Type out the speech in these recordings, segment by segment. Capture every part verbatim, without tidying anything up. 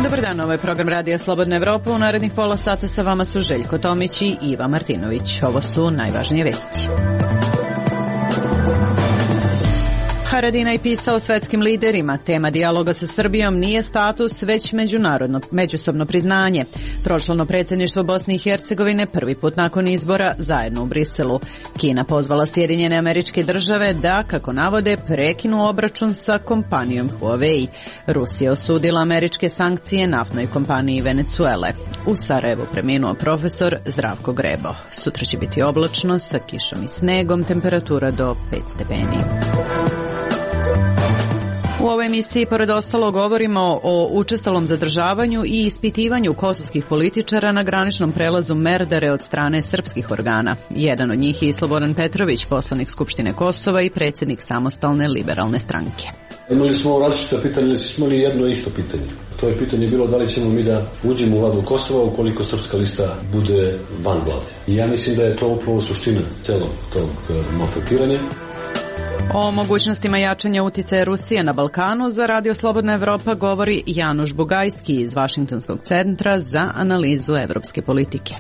Dobar dan, ovo je program Radija Slobodna Evropa. U narednih pola sata sa vama su Željko Tomić i Iva Martinović. Ovo su najvažnije vesti. Haradinaj pisao svetskim liderima. Tema dijaloga sa Srbijom nije status, već međunarodno, međusobno priznanje. Tročlano predsjedništvo Bosne i Hercegovine prvi put nakon izbora zajedno u Briselu. Kina pozvala Sjedinjene Američke Države da, kako navode, prekinu obračun sa kompanijom Huawei. Rusija osudila američke sankcije naftnoj kompaniji Venecuele. U Sarajevu preminuo profesor Zdravko Grebo. Sutra će biti oblačno sa kišom i snegom, temperatura do pet stepeni. U ovoj emisiji, pored ostalo, govorimo o učestalom zadržavanju i ispitivanju kosovskih političara na graničnom prelazu Merdare od strane srpskih organa. Jedan od njih je i Slobodan Petrović, poslanik Skupštine Kosova i predsjednik Samostalne liberalne stranke. Imali smo različita pitanja, ali smo imali jedno isto pitanje. To je pitanje bilo da li ćemo mi da uđemo u vladu Kosova ukoliko srpska lista bude van vlade. I ja mislim da je to upravo suština celog tog maltretiranja. O mogućnostima jačanja uticaja Rusije na Balkanu za Radio Slobodna Evropa govori Januš Bugajski iz Vašingtonskog centra za analizu evropske politike.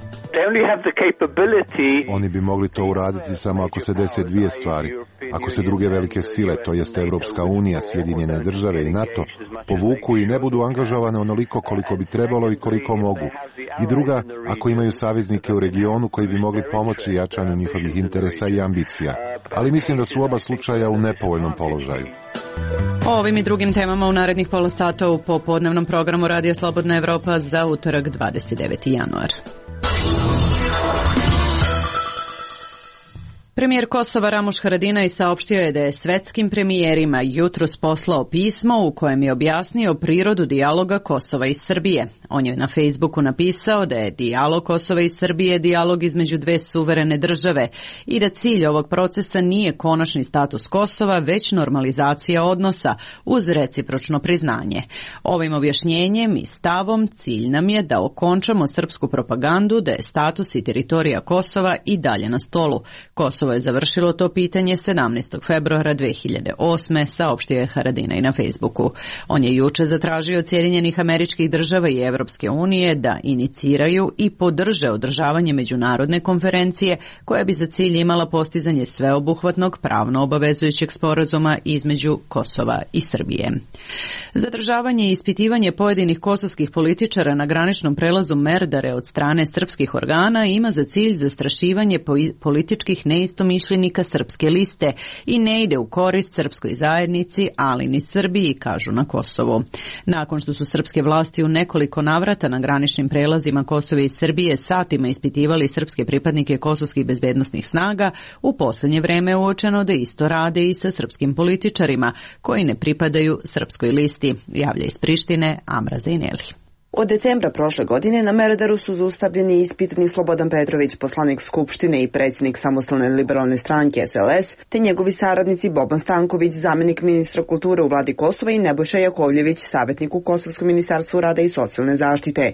Oni bi mogli to uraditi samo ako se dese dvije stvari. Ako se druge velike sile, to jest Evropska unija, Sjedinjene države i NATO, povuku i ne budu angažovane onoliko koliko bi trebalo i koliko mogu. I druga, ako imaju saveznike u regionu koji bi mogli pomoći jačanju njihovih interesa i ambicija. Ali mislim da su oba slučaja u nepovoljnom položaju. O ovim i drugim temama u narednih pola sata u popodnevnom programu Radija Slobodna Evropa za utorak dvadeset deveti januar. Premijer Kosova Ramuš Haradinaj saopštio je da je svetskim premijerima jutros poslao pismo u kojem je objasnio prirodu dijaloga Kosova i Srbije. On je na Facebooku napisao da je dijalog Kosova i Srbije dijalog između dve suverene države i da cilj ovog procesa nije konačni status Kosova, već normalizacija odnosa uz recipročno priznanje. Ovim objašnjenjem i stavom cilj nam je da okončamo srpsku propagandu da je status i teritorija Kosova i dalje na stolu. Kosovo je završilo to pitanje sedamnaestog februara dve hiljade osme, saopštio je Haradinaj na Facebooku. On je juče zatražio od Sjedinjenih Američkih Država i Evropske unije da iniciraju i podrže održavanje međunarodne konferencije koja bi za cilj imala postizanje sveobuhvatnog pravno obavezujućeg sporazuma između Kosova i Srbije. Zadržavanje i ispitivanje pojedinih kosovskih političara na graničnom prelazu Merdare od strane srpskih organa ima za cilj zastrašivanje političkih neistomišljenika srpske liste i ne ide u korist srpskoj zajednici, ali ni Srbiji, kažu na Kosovu. Nakon što su srpske vlasti u nekoliko navrata na graničnim prelazima Kosova i Srbije satima ispitivali srpske pripadnike kosovskih bezbednosnih snaga, u posljednje vreme je uočeno da isto rade i sa srpskim političarima koji ne pripadaju srpskoj listi, javlja iz Prištine Amra Zejneli. Od decembra prošle godine na Merdaru su zaustavljeni i ispitani Slobodan Petrović, poslanik Skupštine i predsjednik Samostalne liberalne stranke S L S, te njegovi saradnici Boban Stanković, zamjenik ministra kulture u vladi Kosova i Nebojša Jakovljević, savjetnik u Kosovskom ministarstvu rada i socijalne zaštite.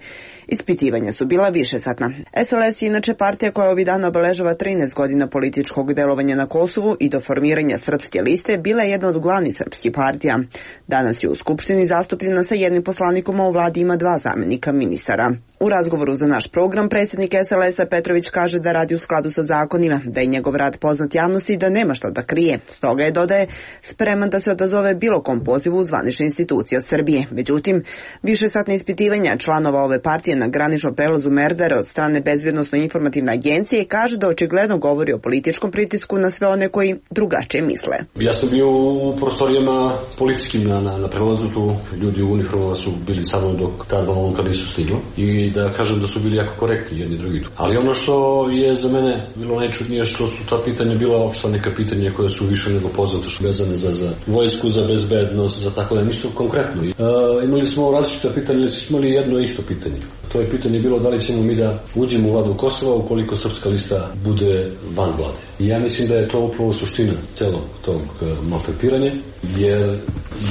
Ispitivanja su bila višesatna. S L S je inače partija koja ovih dana obeležava trinaest godina političkog delovanja na Kosovu i do formiranja srpske liste bila je jedna od glavnih srpskih partija. Danas je u Skupštini zastupljena sa jednim poslanikom, a u vladi ima dva zamjenika ministara. U razgovoru za naš program predsjednik S L S-a Petrović kaže da radi u skladu sa zakonima, da je njegov rad poznat javnosti i da nema šta da krije. Stoga je, dodaje, spreman da se odazove bilo kom pozivu u zvanične institucije Srbije. Međutim, višesatne ispitivanja članova ove partije na graničnom prelazu Merdare od strane Bezbjednosno-informativne agencije kaže da očigledno govori o političkom pritisku na sve one koji drugačije misle. Ja sam bio u prostorijama policijskim na, na, na prelazu, tu ljudi u uniformama su bili samo dok ta dva momka nisu stigla i da kažem da su bili jako korektni jedni drugi. Ali ono što je za mene bilo najčudnije što su ta pitanja bila opšta neka pitanja koja su više nego poznate, što vezane za, za vojsku, za bezbednost, za tako da nisu konkretno. E, imali smo različita pitanja, ali smo imali jedno isto pitanje. To je pitanje bilo da li ćemo mi da uđemo u vladu Kosova ukoliko srpska lista bude van vlade. I ja mislim da je to upravo suština celog tog maltretiranja, jer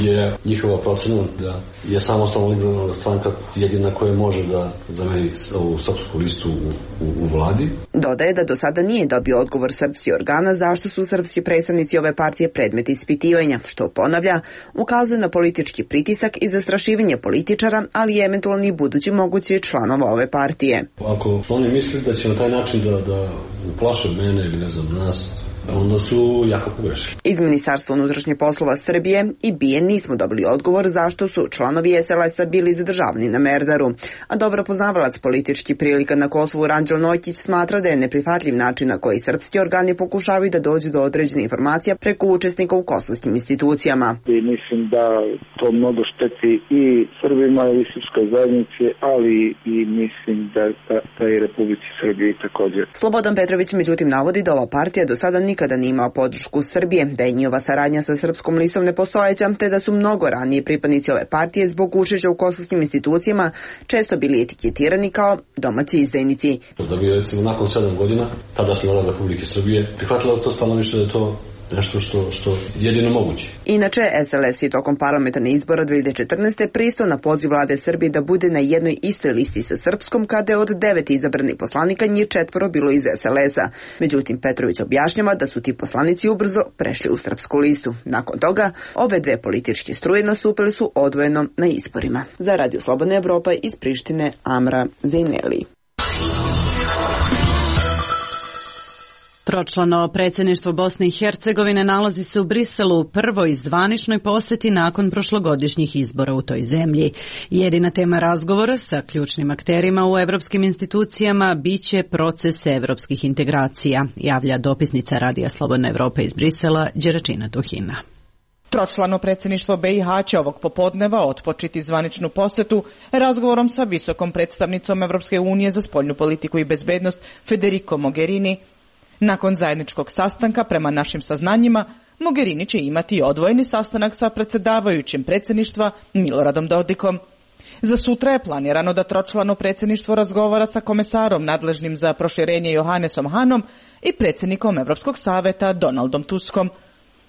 je njihova procena da je Samostalna liberalna stranka jedina koja može da zameni ovu srpsku listu u, u, u vladi. Dodaje da do sada nije dobio odgovor srpskih organa zašto su srpski predstavnici ove partije predmet ispitivanja, što ponavlja, ukazuje na politički pritisak i zastrašivanje političara, ali i eventualni budući mogući članova ove partije. Ako oni misle da će na taj način da, da uplaše mene ili ne znam nas, onda su jako pogrešili. Iz Ministarstva unutrašnjih poslova Srbije i B I E nismo dobili odgovor zašto su članovi S L S-a bili zadržavani na Merdaru, a dobro poznavalac politički prilika na Kosovu Ranđel Nokić smatra da je neprihvatljiv način na koji srpski organi pokušavaju da dođu do određene informacija preko učesnika u kosovskim institucijama. I mislim da to mnogo šteti i Srbima i srpskoj zajednici, ali i mislim da, da, da i Republici Srbiji također. Slobodan Petrović međutim navodi da ova partija do sada nikada nije imao podršku Srbije, da je njihova saradnja sa srpskom listom nepostojeća, te da su mnogo ranije pripadnici ove partije zbog učešća u kosovskim institucijama često bili etiketirani kao domaći izdajnici. Da bi recimo nakon sedam godina tadašnja vlada Republike Srbije prihvatila to stanovište da je to nešto što, što jedino moguće. Inače, S L S je tokom parlamentarnih izbora dve hiljade četrnaeste pristao na poziv vlade Srbije da bude na jednoj istoj listi sa srpskom, kada je od devet izabranih poslanika njih četvoro bilo iz S L S-a. Međutim, Petrović objašnjava da su ti poslanici ubrzo prešli u srpsku listu. Nakon toga, ove dve političke struje nastupili su odvojeno na izborima. Za Radio Slobodna Evropa iz Prištine, Amra Zejneli. Tročlano predsjedništvo Bosne i Hercegovine nalazi se u Briselu u prvoj zvaničnoj posjeti nakon prošlogodišnjih izbora u toj zemlji. Jedina tema razgovora sa ključnim akterima u evropskim institucijama biće proces evropskih integracija, javlja dopisnica Radija Slobodna Evropa iz Brisela, Đeračina Tuhina. Tročlano predsjedništvo B i H će ovog popodneva otpočeti zvaničnu posjetu razgovorom sa visokom predstavnicom Evropske unije za spoljnu politiku i bezbednost Federico Mogherini. Nakon zajedničkog sastanka, prema našim saznanjima, Mogherini će imati odvojeni sastanak sa predsjedavajućim predsjedništva Miloradom Dodikom. Za sutra je planirano da tročlano predsjedništvo razgovara sa komesarom nadležnim za proširenje Johannesom Hanom i predsjednikom Evropskog saveta Donaldom Tuskom.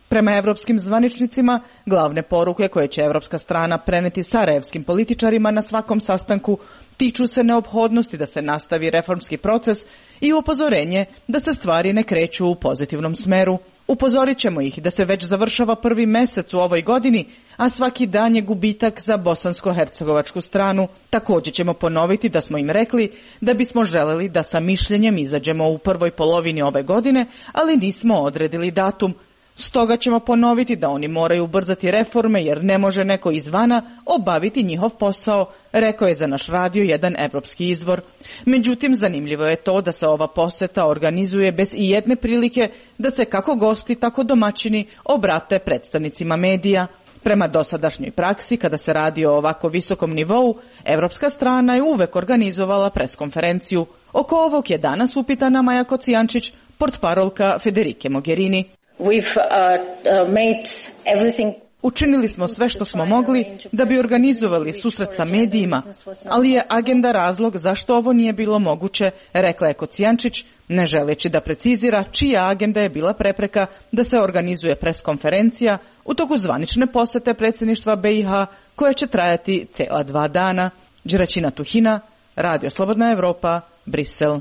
Prema evropskim zvaničnicima, glavne poruke koje će evropska strana preneti sarajevskim političarima na svakom sastanku tiču se neophodnosti da se nastavi reformski proces i upozorenje da se stvari ne kreću u pozitivnom smeru. Upozorit ćemo ih da se već završava prvi mesec u ovoj godini, a svaki dan je gubitak za bosansko-hercegovačku stranu. Također ćemo ponoviti da smo im rekli da bismo želeli da sa mišljenjem izađemo u prvoj polovini ove godine, ali nismo odredili datum. Stoga ćemo ponoviti da oni moraju ubrzati reforme jer ne može neko izvana obaviti njihov posao, rekao je za naš radio jedan evropski izvor. Međutim, zanimljivo je to da se ova posjeta organizuje bez i jedne prilike da se kako gosti, tako domaćini obrate predstavnicima medija. Prema dosadašnjoj praksi, kada se radi o ovako visokom nivou, evropska strana je uvek organizovala preskonferenciju. Oko ovog je danas upitana Maja Kocijančić, portparolka Federike Mogherini. We've, uh, uh, made everything... Učinili smo sve što smo mogli da bi organizovali susret sa medijima, ali je agenda razlog zašto ovo nije bilo moguće, rekla je Kocijančić, ne želeći da precizira čija agenda je bila prepreka da se organizuje preskonferencija u toku zvanične posete predsjedništva B i H koja će trajati cijela dva dana. Đeračina Tuhina, Radio Slobodna Evropa, Brisel.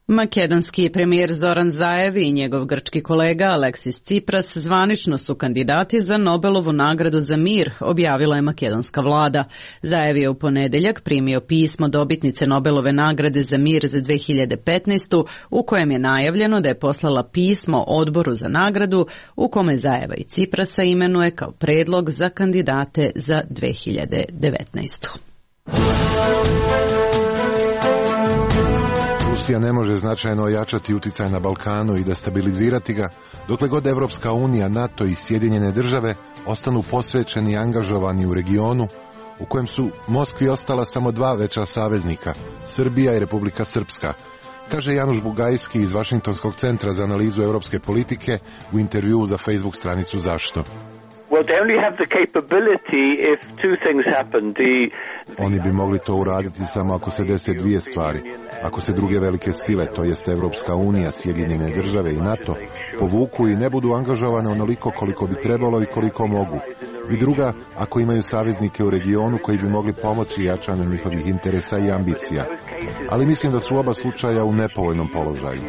Makedonski premijer Zoran Zaev i njegov grčki kolega Aleksis Tsipras zvanično su kandidati za Nobelovu nagradu za mir, objavila je makedonska vlada. Zaev je u ponedjeljak primio pismo dobitnice Nobelove nagrade za mir za dve hiljade petnaestu. u kojem je najavljeno da je poslala pismo odboru za nagradu u kome Zaeva i Tsiprasa imenuje kao predlog za kandidate za dve hiljade devetnaestu. Rusija ne može značajno ojačati uticaj na Balkanu i destabilizirati ga, dokle god Evropska unija, NATO i Sjedinjene države ostanu posvećeni i angažovani u regionu u kojem su Moskvi ostala samo dva veća saveznika, Srbija i Republika Srpska, kaže Januš Bugajski iz Vašingtonskog centra za analizu evropske politike u intervjuu za Facebook stranicu Zašto. Oni bi mogli to uraditi samo ako se dese dvije stvari. Ako se druge velike sile, to jest Evropska unija, Sjedinjene države i NATO, povuku i ne budu angažovane onoliko koliko bi trebalo i koliko mogu. i druga ako imaju saveznike u regionu koji bi mogli pomoći jačanju njihovih interesa i ambicija. Ali mislim da su oba slučaja u nepovoljnom položaju.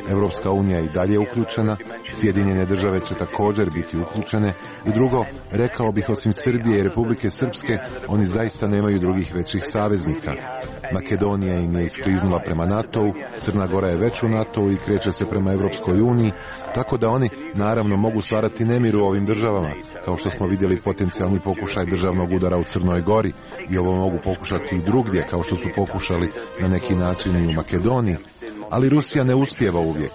Evropska unija je i dalje uključena, Sjedinjene države će također biti uključene i drugo, rekao bih osim Srbije i Republike Srpske, oni zaista nemaju drugih većih saveznika. Makedonija im je iskliznula prema NATO-u, Crna Gora je već u NATO-u i kreće se prema Evropskoj uniji, tako da oni naravno mogu stvarati nemir u ovim državama, kao što smo vidjeli potencijalni pokušaj državnog udara u Crnoj Gori i ovo mogu pokušati i drugdje, kao što su pokušali na neki način i u Makedoniji. Ali Rusija ne uspijeva uvijek.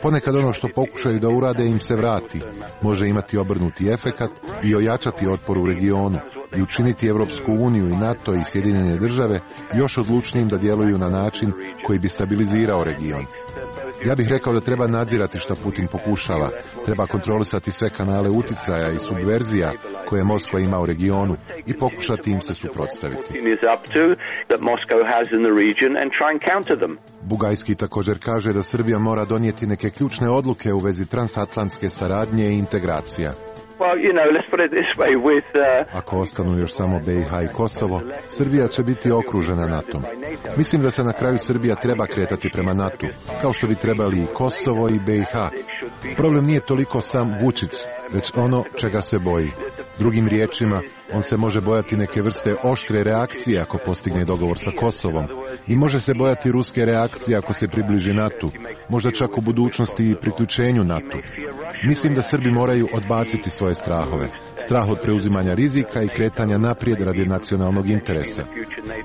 Ponekad ono što pokušaju da urade im se vrati, može imati obrnuti efekat i ojačati otpor u regionu i učiniti Evropsku uniju i NATO i Sjedinjene države još odlučnijim da djeluju na način koji bi stabilizirao region. Ja bih rekao da treba nadzirati što Putin pokušava, treba kontrolisati sve kanale uticaja i subverzija koje Moskva ima u regionu i pokušati im se suprotstaviti. Bugajski također kaže da Srbija mora donijeti neke ključne odluke u vezi transatlantske saradnje i integracija. Ako ostanu još samo B i H i Kosovo, Srbija će biti okružena NATO-om. Mislim da se na kraju Srbija treba kretati prema NATO, kao što bi trebali i Kosovo i B i H. Problem nije toliko sam Vučić, već ono čega se boji. Drugim riječima, on se može bojati neke vrste oštre reakcije ako postigne dogovor sa Kosovom i može se bojati ruske reakcije ako se približi NATO, možda čak u budućnosti i priključenju NATO. Mislim da Srbi moraju odbaciti svoje strahove, strah od preuzimanja rizika i kretanja naprijed radi nacionalnog interesa.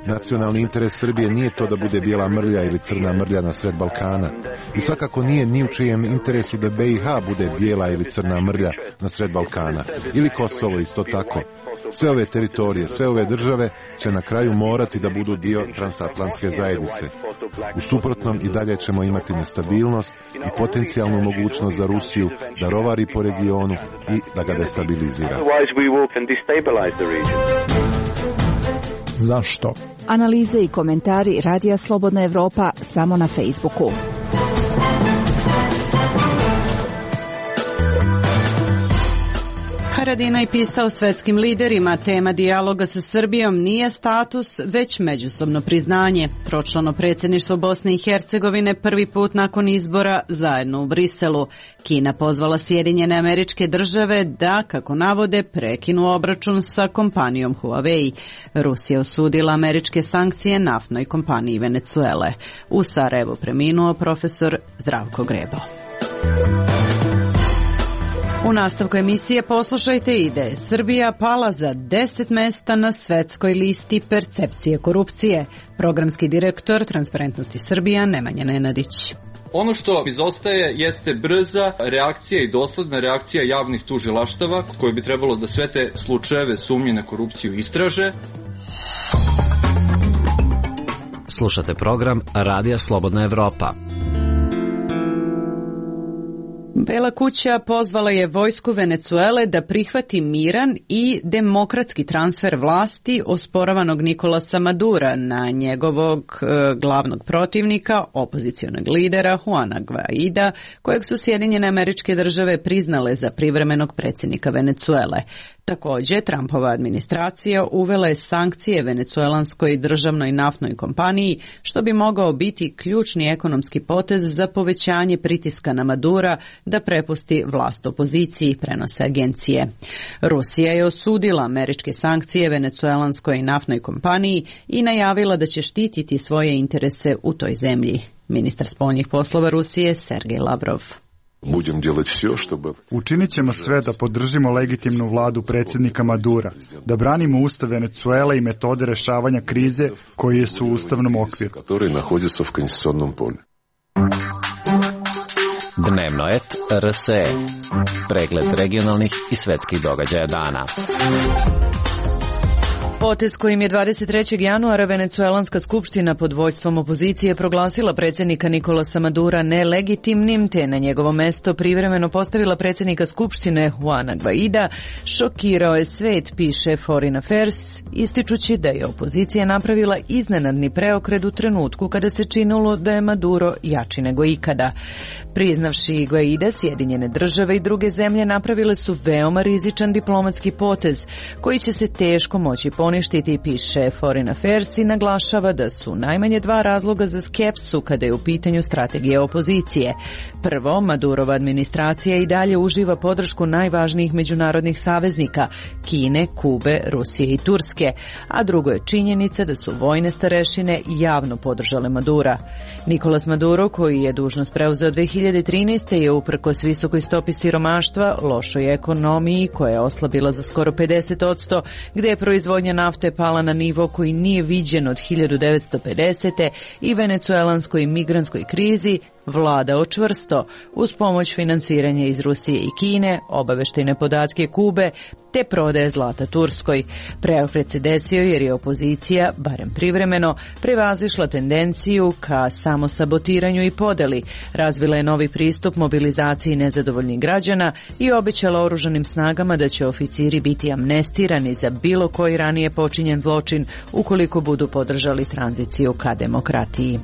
Nacionalni interes Srbije nije to da bude bijela mrlja ili crna mrlja na sred Balkana i svakako nije ni u čijem interesu da B i H bude bijela ili crna mrlja na sred Balkana ili Kosovo isto tako. Sve ove teritorije, sve ove države će na kraju morati da budu dio transatlantske zajednice. U suprotnom i dalje ćemo imati nestabilnost i potencijalnu mogućnost za Rusiju da rovari po regionu i da ga destabilizira. Zašto? Analize i komentari Radija Slobodna Evropa samo na Facebooku. Haradinaj pisao svetskim liderima, tema dijaloga sa Srbijom nije status, već međusobno priznanje. Tročlano predsjedništvo Bosne i Hercegovine prvi put nakon izbora zajedno u Briselu. Kina pozvala Sjedinjene Američke Države da, kako navode, prekinu obračun sa kompanijom Huawei. Rusija osudila američke sankcije naftnoj kompaniji Venecuele. U Sarajevu preminuo profesor Zdravko Grebo. U nastavku emisije poslušajte i da je Srbija pala za deset mesta na svetskoj listi percepcije korupcije. Programski direktor Transparentnosti Srbija Nemanja Nenadić. Ono što izostaje jeste brza reakcija i dosledna reakcija javnih tužilaštava koje bi trebalo da sve te slučajeve sumnje na korupciju istraže. Slušate program Radija Slobodna Evropa. Bela kuća pozvala je vojsku Venecuele da prihvati miran i demokratski transfer vlasti osporavanog Nikolasa Madura na njegovog e, glavnog protivnika, opozicionog lidera Juana Guaida, kojeg su Sjedinjene Američke Države priznale za privremenog predsjednika Venecuele. Također, Trumpova administracija uvela je sankcije venecuelanskoj državnoj naftnoj kompaniji, što bi mogao biti ključni ekonomski potez za povećanje pritiska na Madura da prepusti vlast opoziciji, prenose agencije. Rusija je osudila američke sankcije venecuelanskoj naftnoj kompaniji i najavila da će štititi svoje interese u toj zemlji. Ministar spoljnih poslova Rusije Sergej Lavrov. Učinit ćemo sve da podržimo legitimnu vladu predsjednika Madura, da branimo ustav Venecuele i metode rešavanja krize koje su u ustavnom okviru. Dnevno et R S E. Pregled regionalnih i svetskih događaja dana. Potez kojim je dvadeset trećeg januara Venecuelanska skupština pod vođstvom opozicije proglasila predsjednika Nikolasa Madura nelegitimnim, te na njegovo mesto privremeno postavila predsjednika skupštine Juana Guaida, šokirao je svet, piše Foreign Affairs, ističući da je opozicija napravila iznenadni preokret u trenutku kada se činilo da je Maduro jači nego ikada. Priznavši Guaida, Sjedinjene države i druge zemlje napravile su veoma rizičan diplomatski potez koji će se teško moći poništiti, piše Foreign Affairs i naglašava da su najmanje dva razloga za skepsu kada je u pitanju strategije opozicije. Prvo, Madurova administracija i dalje uživa podršku najvažnijih međunarodnih saveznika, Kine, Kube, Rusije i Turske, a drugo je činjenica da su vojne starešine javno podržale Madura. Nicolas Maduro, koji je dužnost preuzeo dve hiljade trinaeste. je uprkos visokoj stopi siromaštva, lošoj ekonomiji koja je oslabila za skoro pedeset posto, gde je proizvodnja nafte pala na nivo koji nije viđen od hiljadu devetsto pedesete. i venecuelanskoj migrantskoj krizi, vladao čvrsto uz pomoć finansiranja iz Rusije i Kine, obaveštajne podatke Kube, te prodaje zlata Turskoj. Preokret se desio jer je opozicija, barem privremeno, prevazišla tendenciju ka samosabotiranju i podeli, razvila je novi pristup mobilizaciji nezadovoljnih građana i obećala oružanim snagama da će oficiri biti amnestirani za bilo koji ranije počinjen zločin ukoliko budu podržali tranziciju ka demokratiji.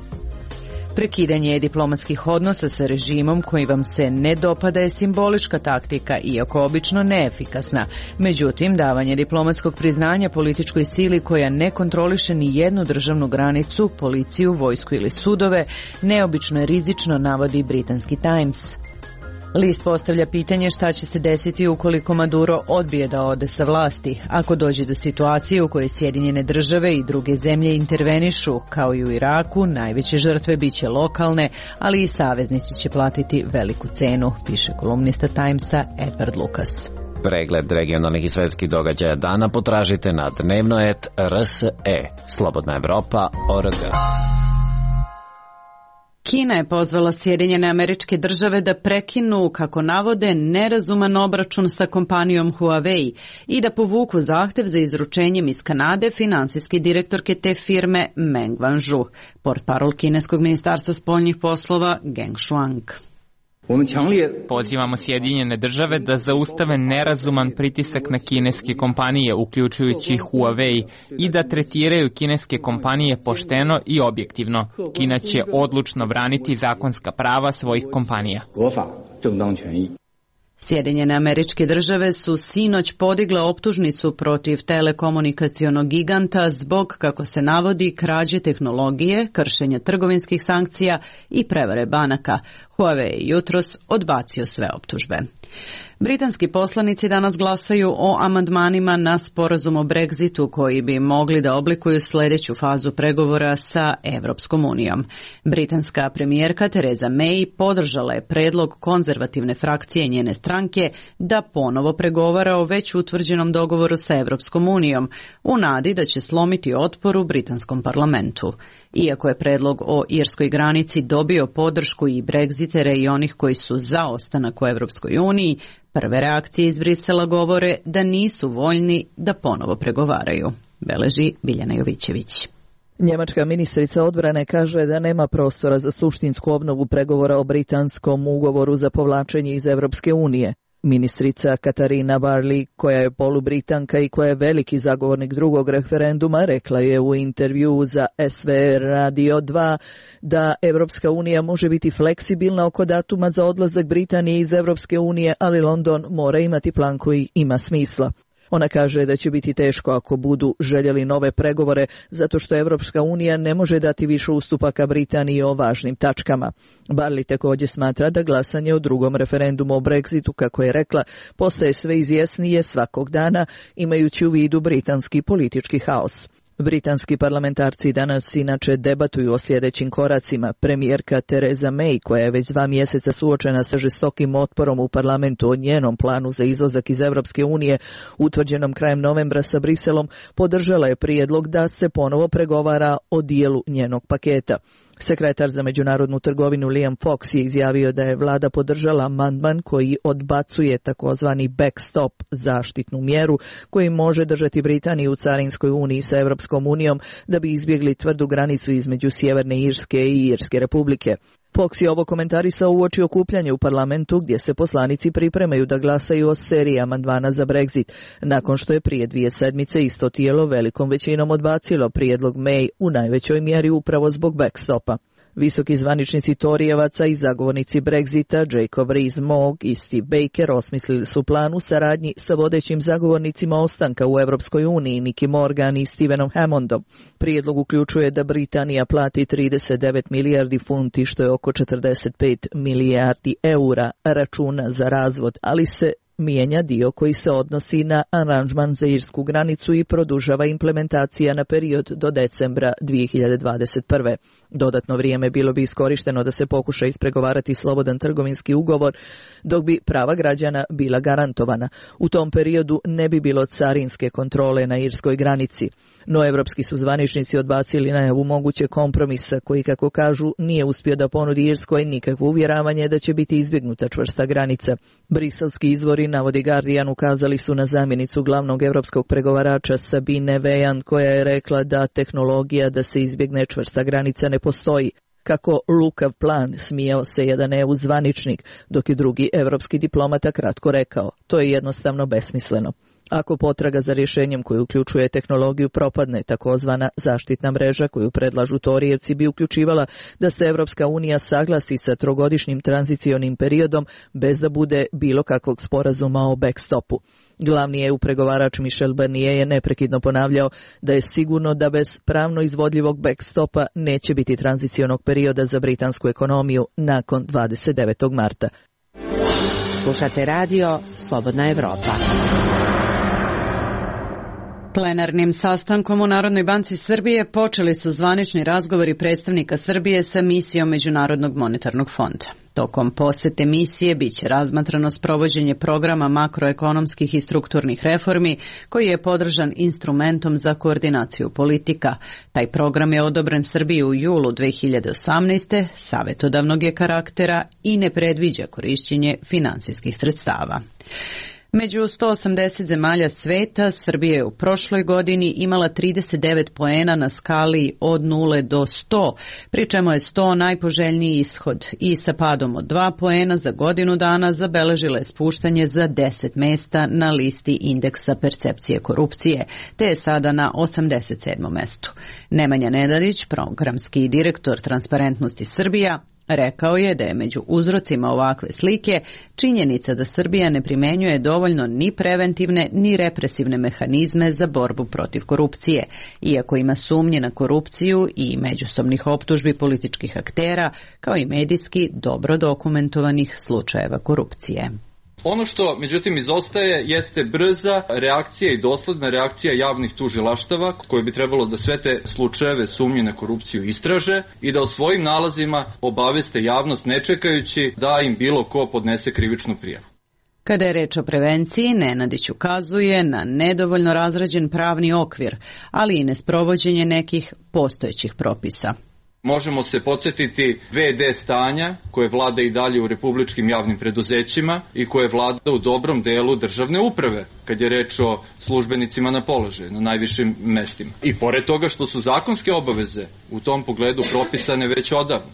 Prekidanje diplomatskih odnosa sa režimom koji vam se ne dopada je simbolička taktika, iako obično neefikasna. Međutim, davanje diplomatskog priznanja političkoj sili koja ne kontroliše ni jednu državnu granicu, policiju, vojsku ili sudove, neobično je rizično, navodi britanski Times. List postavlja pitanje šta će se desiti ukoliko Maduro odbije da ode sa vlasti, ako dođe do situacije u kojoj Sjedinjene države i druge zemlje intervenišu, kao i u Iraku, najveće žrtve biće lokalne, ali i saveznici će platiti veliku cenu, piše kolumnista Timesa Edward Lucas. Pregled regionalnih i svetskih događaja dana potražite na dnevnoet R S E, Slobodna Evropa o R G. Kina je pozvala Sjedinjene Američke Države da prekinu, kako navode, nerazuman obračun sa kompanijom Huawei i da povuku zahtev za izručenjem iz Kanade finansijske direktorke te firme Meng Wanzhou, portparol kineskog ministarstva spoljnih poslova Geng Shuang. Pozivamo Sjedinjene države da zaustave nerazuman pritisak na kineske kompanije, uključujući Huawei, i da tretiraju kineske kompanije pošteno i objektivno. Kina će odlučno braniti zakonska prava svojih kompanija. Sjedinjene Američke Države su sinoć podigle optužnicu protiv telekomunikacionog giganta zbog, kako se navodi, krađe tehnologije, kršenja trgovinskih sankcija i prevare banaka. Huawei je jutros odbacio sve optužbe. Britanski poslanici danas glasaju o amandmanima na sporazum o Brexitu koji bi mogli da oblikuju sljedeću fazu pregovora sa Evropskom unijom. Britanska premijerka Theresa May podržala je predlog konzervativne frakcije njene stranke da ponovo pregovara o već utvrđenom dogovoru sa Evropskom unijom u nadi da će slomiti otpor u britanskom parlamentu. Iako je predlog o irskoj granici dobio podršku i Brexitere i onih koji su za ostanak u Evropskoj uniji, prve reakcije iz Brisela govore da nisu voljni da ponovo pregovaraju, beleži Biljana Jovićević. Njemačka ministrica odbrane kaže da nema prostora za suštinsku obnovu pregovora o britanskom ugovoru za povlačenje iz Evropske unije. Ministrica Katarina Barley, koja je polubritanka i koja je veliki zagovornik drugog referenduma, rekla je u intervju za S V R Radio dva da Evropska unija može biti fleksibilna oko datuma za odlazak Britanije iz Evropske unije, ali London mora imati plan koji ima smisla. Ona kaže da će biti teško ako budu željeli nove pregovore, zato što Evropska unija ne može dati više ustupaka Britaniji o važnim tačkama. Barley također smatra da glasanje o drugom referendumu o Brexitu, kako je rekla, postaje sve izjasnije svakog dana, imajući u vidu britanski politički haos. Britanski parlamentarci danas inače debatuju o sljedećim koracima. Premijerka Theresa May, koja je već dva mjeseca suočena sa žestokim otporom u parlamentu o njenom planu za izlazak iz Evropske unije, utvrđenom krajem novembra sa Briselom, podržala je prijedlog da se ponovo pregovara o dijelu njenog paketa. Sekretar za međunarodnu trgovinu Liam Fox je izjavio da je vlada podržala amandman koji odbacuje takozvani backstop, zaštitnu mjeru koji može držati Britaniju u carinskoj uniji sa Evropskom unijom da bi izbjegli tvrdu granicu između Sjeverne Irske i Irske republike. Fox je ovo komentarisao uoči okupljanja u parlamentu gdje se poslanici pripremaju da glasaju o seriji amandmana za Brexit, nakon što je prije dvije sedmice isto tijelo velikom većinom odbacilo prijedlog May u najvećoj mjeri upravo zbog backstopa. Visoki zvaničnici Torijevaca i zagovornici Brexita Jacob Rees-Mogg i Steve Baker osmislili su plan u saradnji sa vodećim zagovornicima ostanka u Europskoj uniji Nicky Morgan i Stevenom Hammondom. Prijedlog uključuje da Britanija plati trideset devet milijardi funti, što je oko četrdeset pet milijardi eura računa za razvod, ali se mijenja dio koji se odnosi na aranžman za irsku granicu i produžava implementacija na period do decembra dvije hiljade dvadeset prve. Dodatno vrijeme bilo bi iskorišteno da se pokuša ispregovarati slobodan trgovinski ugovor, dok bi prava građana bila garantovana. U tom periodu ne bi bilo carinske kontrole na irskoj granici. No evropski su zvaničnici odbacili najavu moguće kompromisa koji, kako kažu, nije uspio da ponudi Irskoj nikakvo uvjeravanje da će biti izbjegnuta čvrsta granica. Briselski izvori, navodi Guardian, ukazali su na zamjenicu glavnog evropskog pregovarača Sabine Vejan, koja je rekla da tehnologija da se izbjegne čvrsta granica ne postoji. Kako lukav plan, smijao se jedan E U zvaničnik, dok je drugi evropski diplomata kratko rekao, to je jednostavno besmisleno. Ako potraga za rješenjem koji uključuje tehnologiju propadne, takozvana zaštitna mreža koju predlažu Torijevci bi uključivala da se Evropska unija saglasi sa trogodišnjim tranzicionim periodom bez da bude bilo kakvog sporazuma o backstopu. Glavni E U pregovarač Michel Barnier je neprekidno ponavljao da je sigurno da bez pravno izvodljivog backstopa neće biti tranzicionog perioda za britansku ekonomiju nakon dvadeset devetog marta. Slušate radio Slobodna Evropa. Plenarnim sastankom u Narodnoj banci Srbije počeli su zvanični razgovori predstavnika Srbije sa misijom Međunarodnog monetarnog fonda. Tokom posete misije biće razmatrano sprovođenje programa makroekonomskih i strukturnih reformi koji je podržan instrumentom za koordinaciju politika. Taj program je odobren Srbiji u julu dve hiljade osamnaeste. Savjetodavnog je karaktera i ne predviđa korišćenje finansijskih sredstava. Među sto osamdeset zemalja sveta, Srbija je u prošloj godini imala trideset devet poena na skali od nule do sto, pri čemu je sto najpoželjniji ishod i sa padom od dva poena za godinu dana zabeležila je spuštanje za deset mesta na listi indeksa percepcije korupcije, te je sada na osamdeset sedmom mestu. Nemanja Nedalić, programski direktor Transparentnosti Srbija, rekao je da je među uzrocima ovakve slike činjenica da Srbija ne primenjuje dovoljno ni preventivne ni represivne mehanizme za borbu protiv korupcije, iako ima sumnje na korupciju i međusobnih optužbi političkih aktera, kao i medijski dobro dokumentovanih slučajeva korupcije. Ono što, međutim, izostaje jeste brza reakcija i dosledna reakcija javnih tužilaštava koji bi trebalo da sve te slučajeve sumnje na korupciju istraže i da o svojim nalazima obaveste javnost ne čekajući da im bilo ko podnese krivičnu prijavu. Kada je reč o prevenciji, Nenadić ukazuje na nedovoljno razrađen pravni okvir, ali i nesprovođenje nekih postojećih propisa. Možemo se podsjetiti ve de stanja koje vlada i dalje u republičkim javnim preduzećima i koje vlada u dobrom delu državne uprave, kad je reč o službenicima na položaju, na najvišim mestima. I pored toga što su zakonske obaveze u tom pogledu propisane već odavno.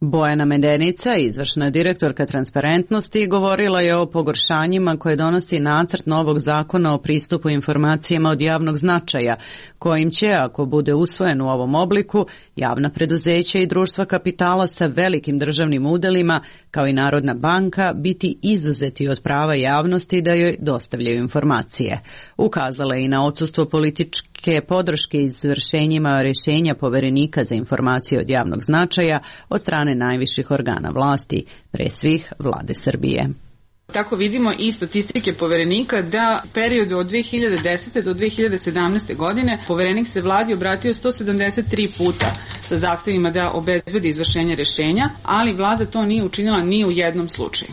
Bojana Medenica, izvršna direktorka Transparentnosti, govorila je o pogoršanjima koje donosi nacrt novog zakona o pristupu informacijama od javnog značaja, kojim će, ako bude usvojen u ovom obliku, javna preduzeća i društva kapitala sa velikim državnim udelima, kao i Narodna banka, biti izuzeti od prava javnosti da joj dostavljaju informacije. Ukazala je i na odsustvo političke podrške izvršenjima rješenja Poverenika za informacije od javnog značaja od strane najviših organa vlasti, pre svih vlade Srbije. Tako vidimo i statistike Poverenika da u periodu od dve hiljade desete do dve hiljade sedamnaeste. godine Poverenik se vladi obratio sto sedamdeset tri puta sa zahtevima da obezbedi izvršenje rješenja, ali vlada to nije učinila ni u jednom slučaju.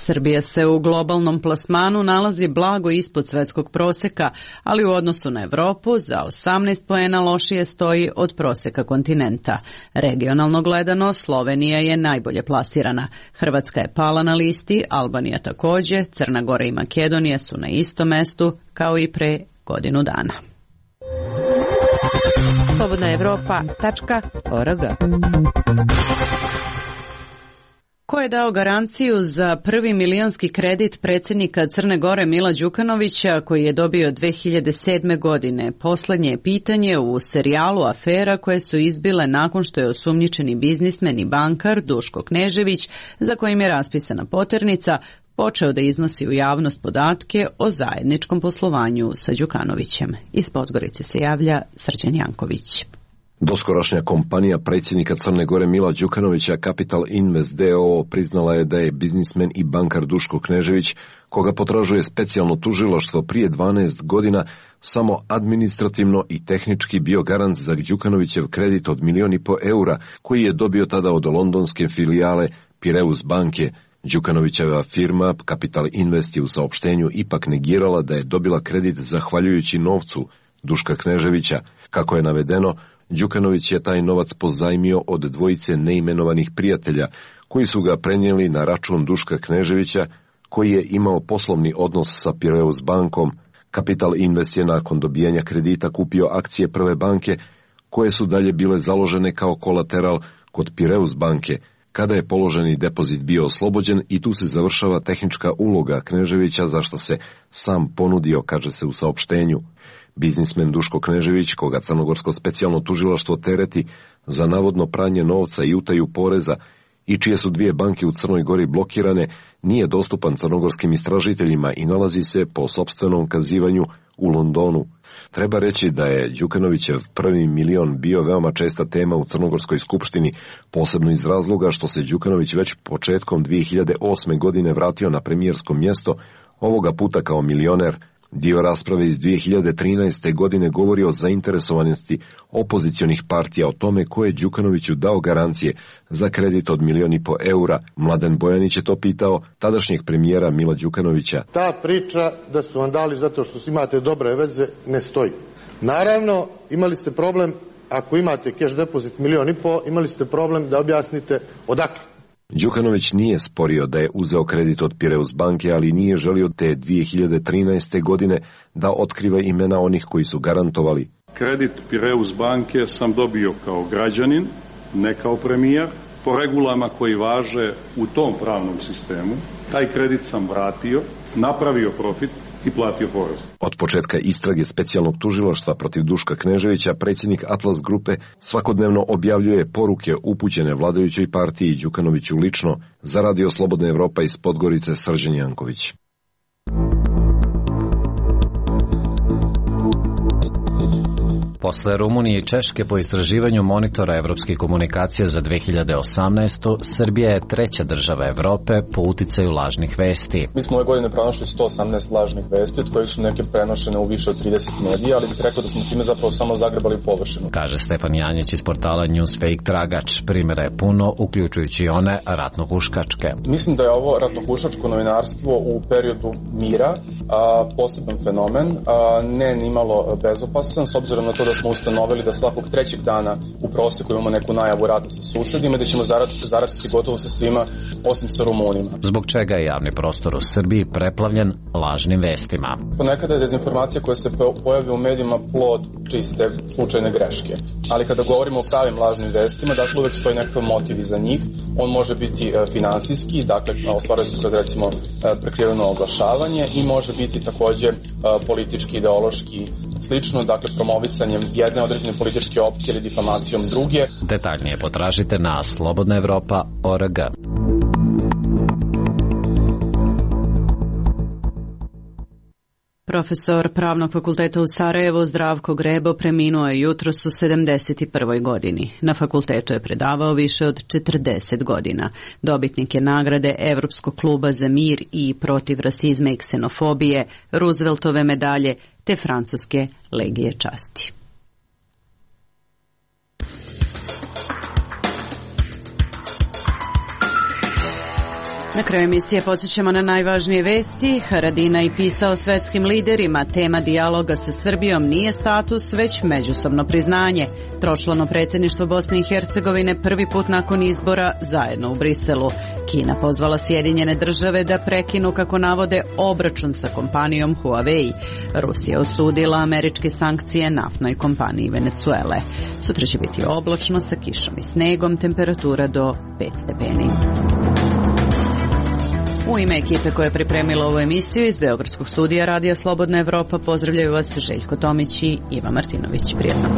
Srbija se u globalnom plasmanu nalazi blago ispod svetskog proseka, ali u odnosu na Evropu za osamnaest poena lošije stoji od proseka kontinenta. Regionalno gledano, Slovenija je najbolje plasirana. Hrvatska je pala na listi, Albanija takođe, Crna Gora i Makedonija su na istom mestu kao i pre godinu dana. slobodna evropa tačka org. Ko je dao garanciju za prvi milionski kredit predsjednika Crne Gore Mila Đukanovića koji je dobio dve hiljade sedme. godine? Poslednje je pitanje u serijalu afera koje su izbile nakon što je osumnjičeni biznismen i bankar Duško Knežević, za kojim je raspisana poternica, počeo da iznosi u javnost podatke o zajedničkom poslovanju sa Đukanovićem. Iz Podgorice se javlja Srđan Janković. Doskorašnja kompanija predsjednika Crne Gore Mila Đukanovića Capital Invest d o o priznala je da je biznismen i bankar Duško Knežević, koga potražuje specijalno tužilaštvo prije dvanaest godina, samo administrativno i tehnički bio garant za Đukanovićev kredit od milion i po eura koji je dobio tada od londonske filijale Piraeus banke. Đukanovićeva firma Capital Invest je u saopštenju ipak negirala da je dobila kredit zahvaljujući novcu Duška Kneževića. Kako je navedeno, Đukanović je taj novac pozajmio od dvojice neimenovanih prijatelja koji su ga prenijeli na račun Duška Kneževića koji je imao poslovni odnos sa Piraeus bankom. Capital Invest je nakon dobijanja kredita kupio akcije Prve banke koje su dalje bile založene kao kolateral kod Piraeus banke. Kada je položeni depozit bio oslobođen i tu se završava tehnička uloga Kneževića za što se sam ponudio, kaže se u saopštenju. Biznismen Duško Knežević, koga crnogorsko specijalno tužilaštvo tereti za navodno pranje novca i utaju poreza i čije su dvije banke u Crnoj Gori blokirane, nije dostupan crnogorskim istražiteljima i nalazi se po sopstvenom kazivanju u Londonu. Treba reći da je Đukanovićev prvi milion bio veoma česta tema u Crnogorskoj skupštini, posebno iz razloga što se Đukanović već početkom dve hiljade osme. godine vratio na premijersko mjesto, ovoga puta kao milioner. Dio rasprave iz dve hiljade trinaeste. godine govori o zainteresovanosti opozicionih partija o tome ko je Đukanoviću dao garancije za kredit od milion i po eura. Mladen Bojanić je to pitao tadašnjeg premijera Mila Đukanovića. Ta priča da su vam dali zato što imate dobre veze ne stoji. Naravno, imali ste problem, ako imate cash depozit milion i po, imali ste problem da objasnite odakle. Đukanović nije sporio da je uzeo kredit od Piraeus banke, ali nije želio te dve hiljade trinaeste. godine da otkriva imena onih koji su garantovali. Kredit Piraeus banke sam dobio kao građanin, ne kao premijer, po regulama koji važe u tom pravnom sistemu. Taj kredit sam vratio, napravio profit i platio porez. Od početka istrage specijalnog tužilaštva protiv Duška Kneževića, predsjednik Atlas grupe svakodnevno objavljuje poruke upućene vladajućoj partiji Đukanoviću lično. Za Radio Slobodna Evropa iz Podgorice, Srđan Janković. Posle Rumunije i Češke po istraživanju monitora evropskih komunikacija za dve hiljade osamnaestu. Srbija je treća država Evrope po uticaju lažnih vesti. Mi smo ove godine pronašli sto osamnaest lažnih vesti, od kojih su neke prenošene u više od trideset medija, ali bih rekao da smo time zapravo samo zagrebali površinu. Kaže Stefan Janjić iz portala Newsfake Tragač. Primjera je puno, uključujući i one ratnohuškačke. Mislim da je ovo ratnohuškačko novinarstvo u periodu mira a, poseban fenomen, a, ne nimalo bezopasan, s obzirom na to da smo ustanovili da svakog trećeg dana u proseku imamo neku najavu rata sa susedima i da ćemo zaratiti, zaratiti gotovo sa svima osim sa Rumunima. Zbog čega je javni prostor u Srbiji preplavljen lažnim vestima? Ponekada je dezinformacija koja se pojavlja u medijima plod čiste slučajne greške. Ali kada govorimo o pravim lažnim vestima, dakle uvek stoji nekakav motiv iza njih. On može biti e, finansijski, dakle ostvaruje se kroz recimo e, prekriveno oglašavanje i može biti takođe e, politički, ideološki, slično, dakle promovisanjem jedne određene političke opcije ili difamacijom druge. Detaljnije potražite na slobodna evropa tačka org. Profesor Pravnog fakulteta u Sarajevu Zdravko Grebo preminuo je jutros u sedamdeset prvoj. godini. Na fakultetu je predavao više od četrdeset godina. Dobitnik je nagrade Evropskog kluba za mir i protiv rasizma i ksenofobije, Rooseveltove medalje te francuske legije časti. Na kraju emisije podsjećamo na najvažnije vesti. Haradinaj pisao svetskim liderima. Tema dijaloga sa Srbijom nije status, već međusobno priznanje. Tročlano predsjedništvo Bosne i Hercegovine prvi put nakon izbora zajedno u Briselu. Kina pozvala Sjedinjene države da prekinu, kako navode, obračun sa kompanijom Huawei. Rusija osudila američke sankcije naftnoj kompaniji Venecuele. Sutra će biti oblačno sa kišom i snegom, temperatura do pet stepeni. U ime ekipe koja je pripremila ovu emisiju iz Beogradskog studija Radija Slobodna Evropa pozdravljaju vas Željko Tomić i Iva Martinović. Prijetno.